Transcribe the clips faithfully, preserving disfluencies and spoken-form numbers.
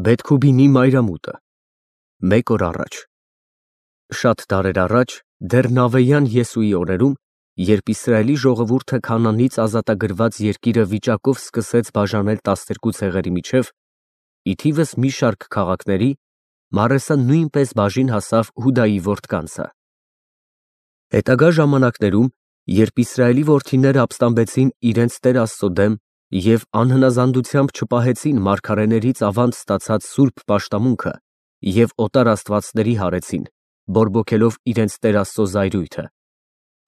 Բեթքուբինի մայրամուտը։ Մեկ օր առաջ։ Շատ դարեր առաջ, դեռ Նավեյան Եսուի օրերում, երբ Իսրայելի ժողովուրդը Քանանից ազատագրված երկիրը վիճակով սկսեց բաժանել տասներկու ցեղերի միջև, ի թիվս մի շարք քաղաքների, Մարեսան նույնպես բաժին հասավ Հուդայի որդկանցը։ Հետագա ժամանակներում, երբ Իսրայելի որդիները ապստամբեցին իրենց Տեր Աստծո դեմ և անհնազանդությամբ չպահեցին մարգարեներից ավանդ ստացած սուրբ պաշտամունքը և օտար աստվածների հարեցին, բորբոքելով իրենց Տեր Աստծո զայրույթը,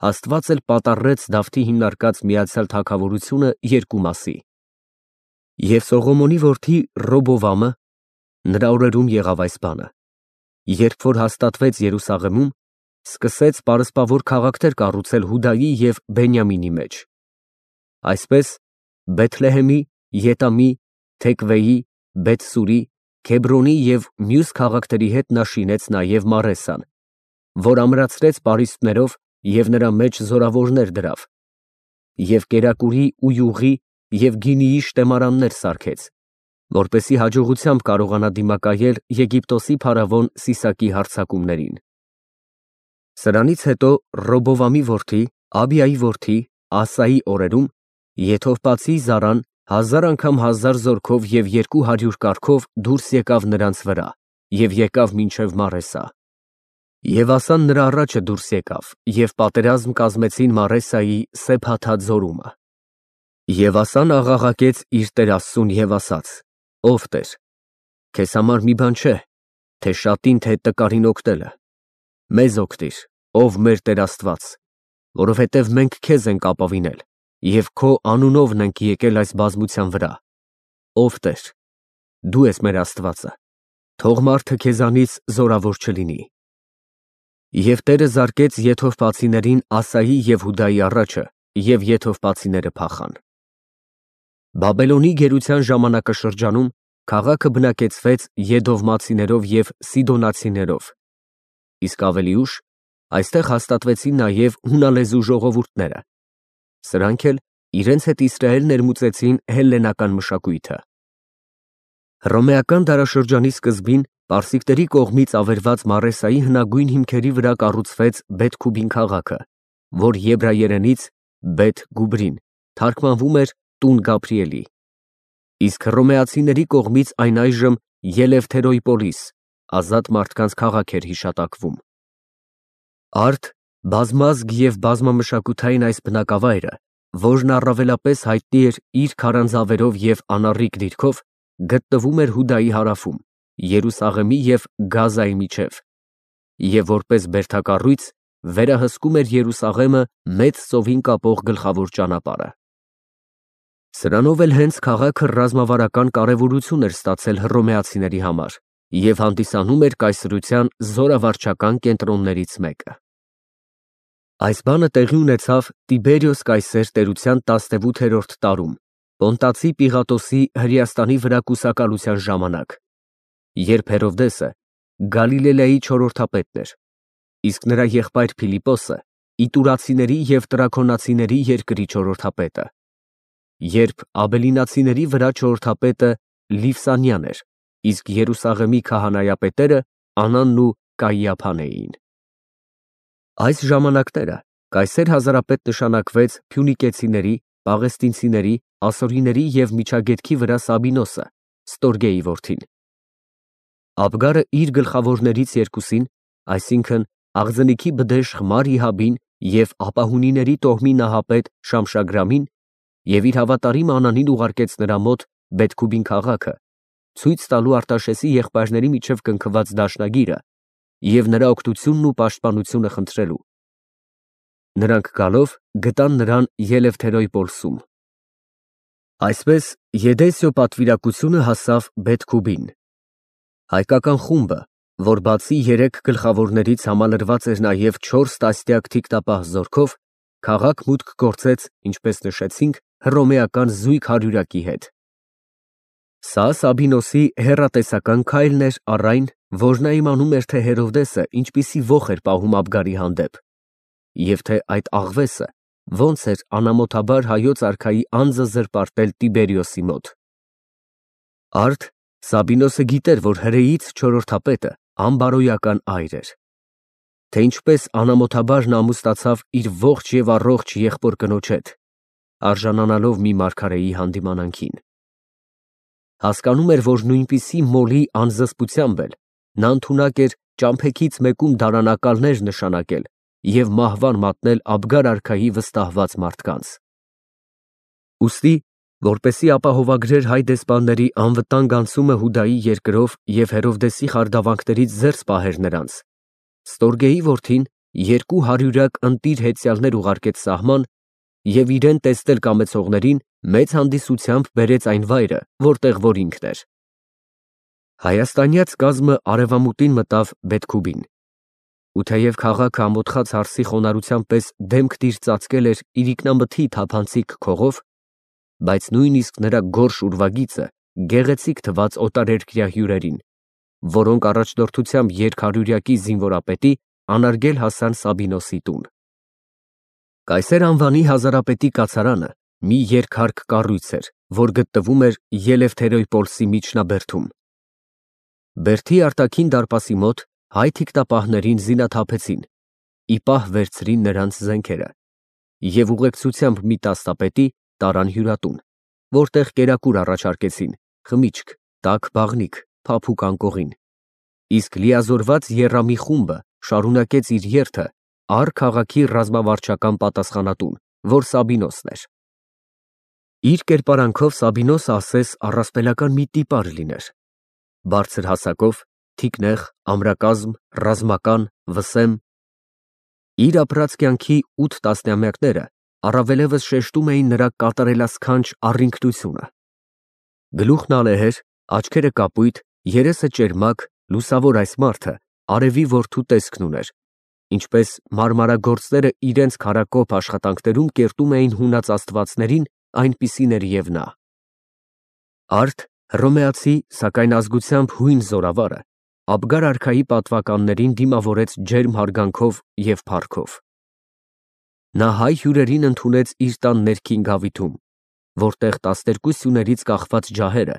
Աստված էլ պատառեց Դավթի հիմնարկած Միացյալ Թագավորությունը երկու մասի։ Եվ Սողոմոնի որդի Ռոբովամը, նրա օրերում եղավ այս բանը, երբ որ հաստատվեց Երուսաղեմում, սկսեց պարսպավոր քաղաքներ կառուցել Հուդայի և Բենյամինի մեջ։ Այսպես Բեթլեհեմի, Ետամի, Թեքվեի, Բեթսուրի, Քեբրոնի և մյուս քաղաքների հետ նա շինեց նաև Մարեսան, որ ամրացրեց պարիսպներով և նրա մեջ զորավորներ դրավ, և կերակուրի ու յուղի և գինիի շտեմարաններ սարքեց, որպեսզի հաջողությամբ կարողանա դիմակայել Եգիպտոսի փարավոն Սիսակի հարձակումներին։ Սրանից հետո Ռոբովամի որդի, Աբիայի որդի, Ասայի օրերում Եթովպացի Զարան հազար անգամ հազար զորքով և երկու հարյուր կառքով դուրս եկավ նրանց վրա և եկավ մինչև Մարեսա։ Եվ Ասան նրա առաջը դուրս եկավ և պատերազմ կազմեցին Մարեսայի Սեփաթա ձորումը։ Եվ Ասան աղաղակեց իր Տեր Աստծուն և ասաց. «Ով Տեր, քեզ համար մի բան չէ, թե շատին, թե տկարին օգնելը, մեզ օգնիր, ով մեր Տեր Աստված, որովհետև մենք քեզ ենք ապավինել և քո անունովն ենք եկել այս բազմության վրա։ Ով Տեր, դու ես մեր Աստվածը, թող մարդը քեզանից զորավոր չլինի»։ Եվ Տերը զարկեց եթովպացիներին Ասայի և Հուդայի առաջը, և եթովպացիները փախան։ Բաբելոնի գերության ժամանակաշրջանում քաղաքը բնակեցվեց Եդովմացիներով և Սիդոնացիներով, իսկ ավելի ուշ այստեղ հաստատվեցին նաև հունալեզու ժողովուրդները, սրանք էլ իրենց հետ Իսրայել ներմուծեցին հելլենական մշակույթը։ Հռոմեական դարաշրջանի սկզբին պարսիկների կողմից ավերված Մարեսայի հնագույն հիմքերի վրա կառուցվեց Բեթքուբին քաղաքը, որ եբրայերենից Բեթ Գուբրին թարգմանվում էր տուն Գաբրիելի, իսկ հռոմեացիների կողմից այն այժմ Ելևթերոյպոլիս ազատ մարդկանց քաղաք էր հիշատակվում։ Արդ, բազմազգ և բազմամշակութային այս բնակավայրը, որն առավելապես հայտնի էր իր քարանձավերով և անառիկ դիրքով, գտնվում էր Հուդայի հարավում, Երուսաղեմի և Գազայի միջև, և որպես բերդակառույց վերահսկում էր Երուսաղեմը Մեծ ծովին կապող գլխավոր ճանապարհը։ Սրանով էլ հենց քաղաքը ռազմավարական կարևորություն էր ստացել հռոմեացիների համար և հանդիսանում էր կայսրության զորավարչական կենտրոններից մեկը։ Այս բանը տեղի ունեցավ Տիբերիոս կայսեր տերության տասնութերորդ տարում, Պոնտացի Պիղատոսի Հրեաստանի վրա կուսակալության ժամանակ, երբ Հերովդեսը Գալիլեայի չորրորդապետն էր, իսկ նրա եղբայր Փիլիպոսը Իտուրացիների և Տրաքոնացիների երկրի չորրորդապետը, երբ Աբելինացիների վրա չորրորդապետը Լիվսանիան էր, իսկ Երուսաղեմի քահանայապետերը Անանն ու Կայիափան էին։ Այս ժամանակները կայսեր հազարապետ նշանակվեց փյունիկեցիների, պաղեստինցիների, ասորիների և Միջագետքի վրա Սաբինոսը, Ստորգեի որդին։ Աբգարը իր գլխավորներից երկուսին, այսինքն Աղձնիքի բդեշխ Մարիհաբին և ապահունիների տոհմի նահապետ Շամշագրամին և իր հավատարիմ Անանին ուղարկեց նրա մոտ Բեթքուբին քաղաքը, ցույց տալու Արտաշեսի եղբայրների միջև կնքված դաշնագիրը և նրա օգնությունն ու պաշտպանությունը խնդրելու։ Նրանք գալով գտան նրան Ելևթերոյպոլսում։ Այսպես Եդեսիո պատվիրակությունը հասավ Բեթքուբին։ Հայկական խումբը, որ բացի երեք գլխավորներից համալրված էր նաև չորս տասնյակ թիկնապահ զորքով, քաղաք մուտք գործեց, ինչպես նշեցինք, հռոմեական զույգ հարյուրակի հետ։ Սա Սաբինոսի հեռատեսական քայլն էր առ այն, որ նա իմանում էր, թե Հերովդեսը ինչպիսի ոխ էր պահում Աբգարի հանդեպ, և թե այդ աղվեսը ոնց էր անամոթաբար հայոց արքայի անձը զրպարտել Տիբերիոսի մոտ։ Արդ Սաբինոսը գիտեր, որ հրեից չորրորդապետը անբարոյական այր էր, թե ինչպես անամոթաբար ամուսնացավ իր ողջ և առողջ եղբոր կնոջ հետ, արժանանալով մի մարգարեի հանդիմանանքին։ Հասկանում էր, որ նույնպիսի մոլի անզսպությամբ էլ նա ընդունակ էր ճամփեքից մեկում դարանակալներ նշանակել և մահվան մատնել Աբգար արքայի վստահված մարդկանց։ Ուստի, որպեսզի ապահովագրեր հայ դեսպանների անվտանգ անցումը Հուդայի երկրով և Հերովդեսի խարդավանքներից զերծ պահեր նրանց, Ստորգեի որդին երկու հարյուրյակ ընտիր հեծյալներ ուղարկեց սահման և իրեն տեսնել կամեցողներին մեծ հանդիսությամբ բերեց այն վայրը, որտեղ որ ինքն էր։ Հայաստանյաց կազմը արևամուտին մտավ Բեթքուբին, ու թեև քաղաքը ամոթխած հարսի խոնարհության պես դեմքտիր ծածկել էր իրիկնամթի թափանցիկ քողով, բայց նույնիսկ նրա գորշ ուրվագիծը գեղեցիկ թվաց օտարերկրյա հյուրերին, որոնք առաջնորդությամբ երկհարյուրյակի զինվորապետի անարգել հասան Սաբինոսի տուն։ Կայսեր անվանի հազարապետի կացարանը մի երկհարկ կառույց էր, որ գտնվում էր Ելևթերոյպոլսի միջնաբերդում։ Բերդի արտաքին դարպասի մոտ հայ թիկնապահներին զինաթափեցին, ի պահ վերցրին նրանց զենքերը և ուղեկցությամբ մի տասնապետի տարան հյուրատուն, որտեղ կերակուր առաջարկեցին, խմիչք, տաք բաղնիք, փափուկ անկողին, իսկ լիազորված եռամի խումբը շարունակեց իր երթը առ քաղաքի ռազմավարչական պատասխանատուն, որ Սաբինոսն էր։ Իր կերպարանքով Սաբինոսը ասես առասպելական մի տիպար լիներ, բարձր հասակով, թիկնեղ, ամրակազմ, ռազմական, վսեմ։ Իր ապրած կյանքի ութ տասնամյակները առավելևս շեշտում էին նրա կատարելասքանչ առինքնությունը։ Գլուխն ալեհեր, աչքերը կապույտ, երեսը ճերմակ, լուսավոր այս մարդը արևի որդու տեսքն ուներ, ինչպես մարմարագործները իրենց քարակոփ աշխատանքներում կերտում էին հունած աստվածներին, այնպիսին էր և նա։ Արդ, հռոմեացի, սակայն ազգությամբ հույն զորավարը Աբգար արքայի պատվականներին դիմավորեց ջերմ հարգանքով և փառքով։ Նա հայ հյուրերին ընդունեց իր տան ներքին գավիթում, որտեղ տասներկու սյուներից կախված ջահերը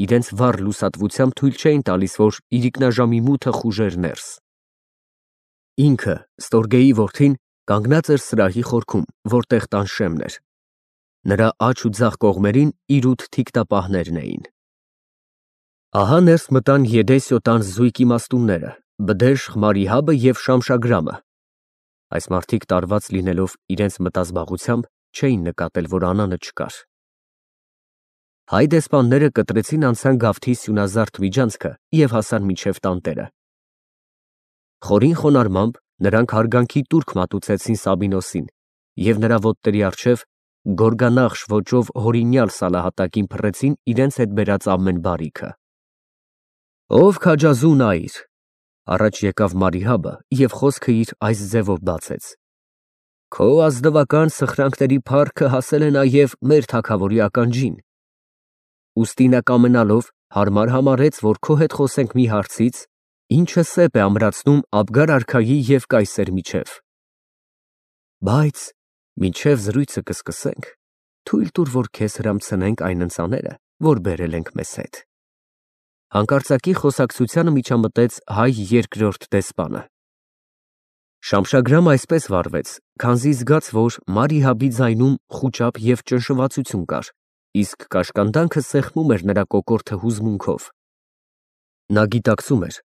իրենց վառ լուսատվությամբ թույլ չէին տալիս, որ իրիկնաժամի մութը խուժեր ներս։ Ինքը, Ստորգեի որդին, կանգնած էր սրահի խորքում, որտեղ տան շեմն էր։ Նրա աջ ու ձախ կողմերին իր ութ թիկնապահներն էին։ Ահա ներս մտան Եդեսիո տան զույգ իմաստունները, Բդեշխ Մարիհաբը և Շամշագրամը։ Այս մարդիկ տարված լինելով իրենց մտազբաղությամբ, չէին նկատել, որ Անանը չկար։ Հայ դեսպանները կտրեցին անցան գավթի սյունազարդ միջանցքը և հասան մինչև տանտերը։ Խորին խոնարհմամբ նրանք հարգանքի տուրք մատուցեցին Սաբինոսին և նրա ոտների առջև գորգանախշ ոճով հորինյալ սալահատակին փռեցին իրենց հետ բերած ամեն բարիքը։ Ով քաջազուն այր, առաջ եկավ Մարիհաբը և խոսքը իր այս ձևով բացեց. Քո ազնվական սխրանքների փառքը հասել է նաև մեր թագավորի ականջին։ Ուստի նա կամենալով հարմար համարեց, որ քո հետ խոսենք մի հարցից, ինչը սեպ է ամրացնում Աբգար արքայի և կայսեր միջև։ Բայց մինչև զրույցը կսկսենք, թույլ տուր, որ քեզ հրամցնենք այն ընծաները, որ բերել ենք մեզ հետ։ Հանկարծակի խոսակցությանը միջամտեց հայ երկրորդ դեսպանը։ Շամշագրամը այսպես վարվեց, քանզի զգաց, որ Մարիհաբի ձայնում խուճապ և ճնշվածություն կար, իսկ կաշկանդանքը սեղմում էր նրա կոկորդը հուզմունքով։ Նա գիտակցում էր,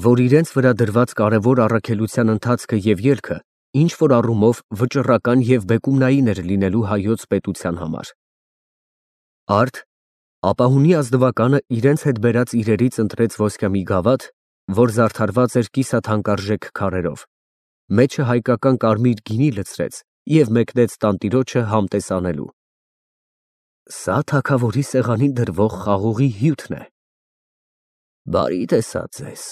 որ իրենց վրա դրված կարևոր առաքելության ընթացքը և ելքը ինչ-որ առումով վճռական և բեկումնային էր լինելու հայոց պետության համար։ Արդ, ապահունի ազնվականը իրենց հետ բերած իրերից ընտրեց ոսկյամի գավաթ, որ զարդարված էր կիսաթանկարժեք քարերով, մեջը հայկական կարմիր գինի լցրեց և մեկնեց տանտիրոջը համտես անելու։ Սա թագավորի սեղանին դրվող խաղողի հյութն է։ Բարի տեսա ձեզ։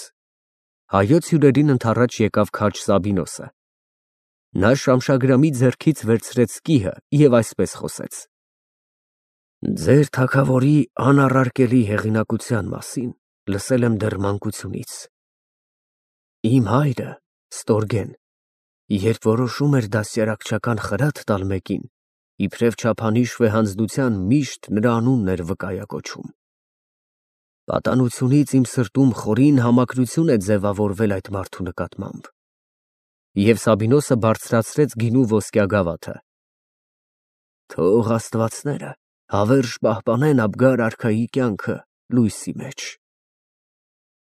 Հայոց հյուրերին ընդառաջ եկավ քաջ Սաբինոսը։ Նա Շամշագրամի ձեռքից վերցրեց կիհը և այսպես խոսեց. Ձեր թագավորի անառարկելի հեղինակության մասին լսել եմ դեռ մանկությունից։ Իմ հայրը, Ստորգեն, երբ որոշում էր դաստիարակչական խրատ տալ մեկին, իբրև չափանիշ վեհանձնության միշտ նրա անունն էր վկայակոչում։ Պատանությունից իմ սրտում խորին համակրություն է ձևավորվել այդ մարդու նկատմամբ։ Եվ Սաբինոսը բարձրացրեց գինու ոսկյա գավաթը։ Թող աստվածները հավերժ պահպանեն Աբգար արքայի կյանքը լույսի մեջ։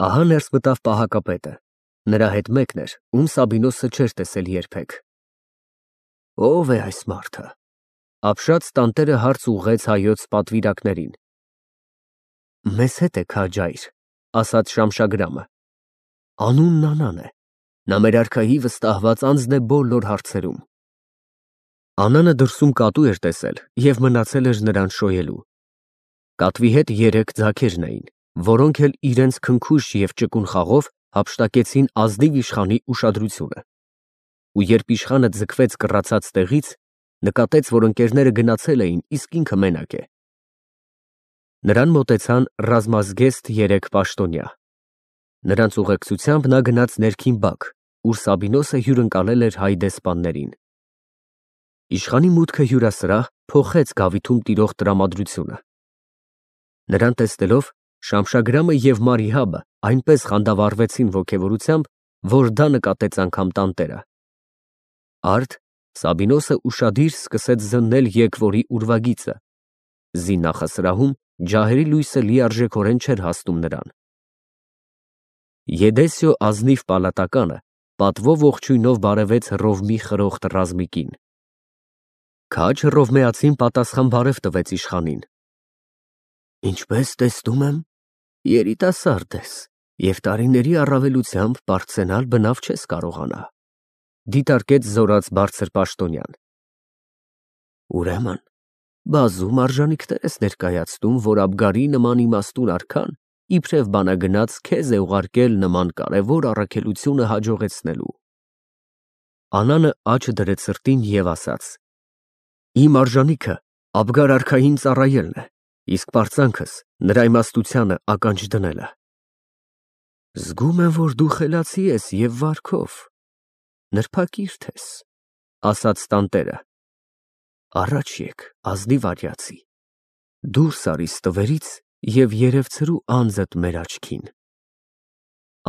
Ահա ներս մտավ պահակապետը։ Նրա հետ մեկն էր, ում Սաբինոսը չէր տեսել երբեք։ Ո՞վ է այս մարդը։ Ապշած տանտերը հարց ուղղեց հայոց պատվիրակներին։ Մեզ հետ է քաջայր, ասաց Շամշագրամը։ Անունն Անան է։ Նա մեր արքայի վստահված անձն է բոլոր հարցերում։ Անանը դրսում կատու էր տեսել և մնացել էր նրան շոյելու։ Կատվի հետ երեք ձագերն էին, որոնք էլ իրենց քնքուշ և ճկուն խաղով հափշտակեցին ազնիվ իշխանի ուշադրությունը։ Ու երբ իշխանը ձգվեց կռացած տեղից, նկատեց, որ ընկերները գնացել էին, իսկ ինքը մենակ է։ Նրան մոտեցան ռազմազգեստ երեք պաշտոնյա։ Նրանց ուղեկցությամբ նա գնաց ներքին բակ, ուր Սաբինոսը հյուրընկալել էր հայ դեսպաններին։ Իշխանի մուտքը հյուրասրահ փոխեց գավիթում տիրող տրամադրությունը։ Նրան տեսնելով Շամշագրամը և Մարիհաբը այնպես խանդավառվեցին ոգևորությամբ, որ դա նկատեց անգամ տանտերը։ Արդ Սաբինոսը ուշադիր սկսեց զննել եկվորի ուրվագիծը։ Զի նախասրահում ջահերի լույսը լիարժեքորեն չէր հասնում նրան։ Եդեսիո ազնիվ պալատականը պատվով ողջույնով բարևեց Հռովմի խրոխտ ռազմիկին։ Քաջ հռովմեացին պատասխան բարև տվեց իշխանին։ Ինչպես տեսնում եմ, երիտասարդ ես և տարիների առավելությամբ բարձրանալ բնավ չես կարողանա, դիտարկեց զորած բարձր պաշտոնյան։ Ուրեմն բազում արժանիքներ ես ներկայացնում, որ Աբգարի նման իմաստուն արքան իբրև բանագնաց քեզ է ուղարկել նման կարևոր առաքելությունը հաջողեցնելու։ Անանը աջ դրեց սրտին և ասաց. Իմ արժանիքը Աբգար արքային ծառայելն է, իսկ պարծանքս նրա իմաստությանը ականջ դնելը։ Զգում եմ, որ դու խելացի ես և վարքով, նրբակիրթ ես, ասաց տանտերը։ Առաջ եկ, ազնիվ արիացի, դուրս արի ստվերից և երևցրու անձդ մեր աչքին։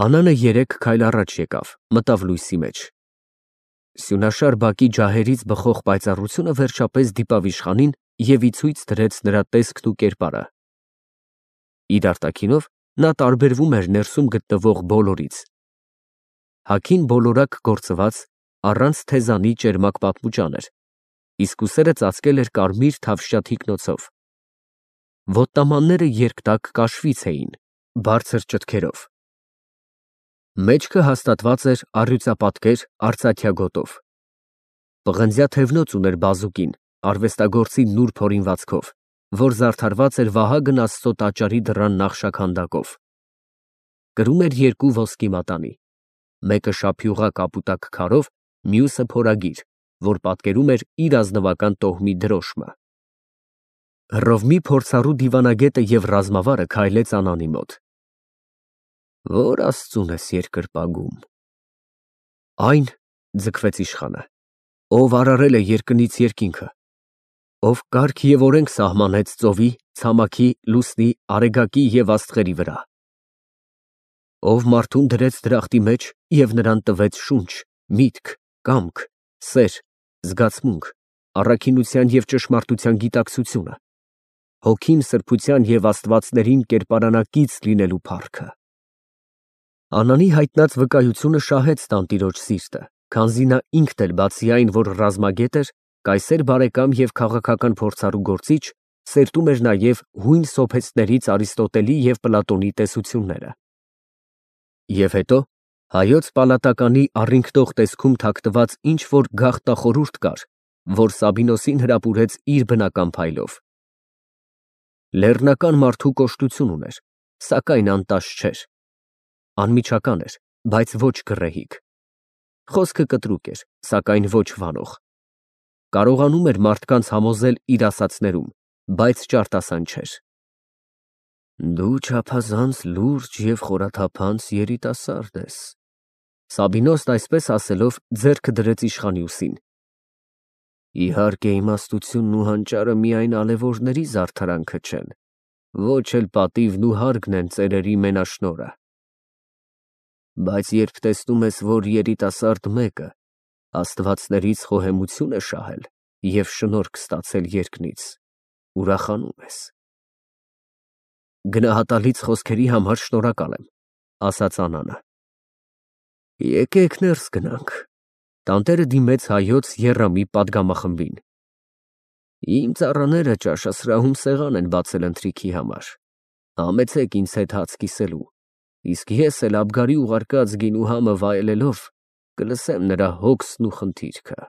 Անանը երեք քայլ առաջ եկավ, մտավ լույսի մեջ։ Սյունաշար բակի ջահերից բխող պայծառությունը վերջապես դիպավ իշխանին և ի ցույց դրեց նրա տեսքն ու կերպարը։ Իր արտաքինով նա տարբերվում էր ներսում գտնվող բոլորից։ Հագին բոլորակ գործված, առանց թեզանի ճերմակ պատմուճան էր, իսկ ուսերը ծածկել էր կարմիր թավշյա թիկնոցով։ Ոտնամանները երկտակ կաշվից էին, բարձր ճտքերով։ Մեջքը հաստատված էր առյուծապատկեր արծաթյա գոտով։ Պղնձյա թևնոց ուներ բազուկին, արվեստագործի նուրբ հորինվածքով, որ զարդարված էր Վահագն Աստծո տաճարի դռան նախշաքանդակով։ Կրում էր երկու ոսկի մատանի, մեկը շափյուղա կապուտակ քարով, մյուսը փորագիր, որ պատկերում էր իր ազնվական տոհմի դրոշմը։ Հռովմի փորձառու դիվանագետը և ռազմավարը քայլեց Անանի մոտ։ Որ Աստծուն ես երկրպագում։ Այն, ձգվեց իշխանը, ով արարել է երկնից երկինքը, ով կարգ և օրենք սահմանեց ծովի, ցամաքի, լուսնի, արեգակի և աստղերի վրա, ով մարդուն դրեց դրախտի մեջ և նրան տվեց շունչ, միտք, կամք, սեր, զգացմունք, առաքինության և ճշմարտության գիտակցությունը, հոգին սրբության և աստվածներին կերպարանակից լինելու փառքը։ Անանի հայտնած վկայությունը շահեց տանտիրոջ սիրտը, քանզի նա ինքն էլ բացի այն, որ ռազմագետ էր, կայսեր բարեկամ և քաղաքական փորձառու գործիչ, սերտում էր նաև հույն սոփեստներից Արիստոտելի և Պլատոնի տեսությունները։ Եվ հետո հայոց պալատականի առինգնող տեսքում թաքնված ինչ֊որ գաղտնախորհուրդ կար, որ Սաբինոսին հրապուրեց իր բնական փայլով։ Լեռնական մարդու կոշտություն ուներ, սակայն անտաշ չէր։ Անմիջական էր, բայց ոչ գռեհիկ։ Խոսքը կտրուկ էր, սակայն ոչ վանող։ Կարողանում էր մարդկանց համոզել իր ասածներում, բայց ճարտասան չէր։ Դու չափազանց լուրջ և խորաթափանց երիտասարդ ես։ Սաբինոսն այսպես ասելով ձեռքը դրեց իշխանի ուսին։ Իհարկե իմաստությունն ու հանճարը միայն ալևորների զարդարանքը չեն, Ոչ էլ պատիվն ու հարգն են ծերերի մենաշնորհը։ Բայց երբ տեսնում ես, որ երիտասարդ մեկը աստվածներից խոհեմություն է շահել և շնորհք ստացել երկնից, ուրախանում ես։ Գնահատալից խոսքերի համար շնորհակալ եմ, ասաց Անանը։ Եկեք ներս գնանք։ Տանտերը դիմեց հայոց եռամի պատգամախմբին։ Իմ ծառաները ճաշասրահում սեղան են բացել ընթրիքի համար, համեցեք ինձ հետ հաց կիսելու, իսկ ես էլ Աբգարի ուղարկած գինու համը վայելելով կլսեմ նրա հոգսն ու խնդիրքը։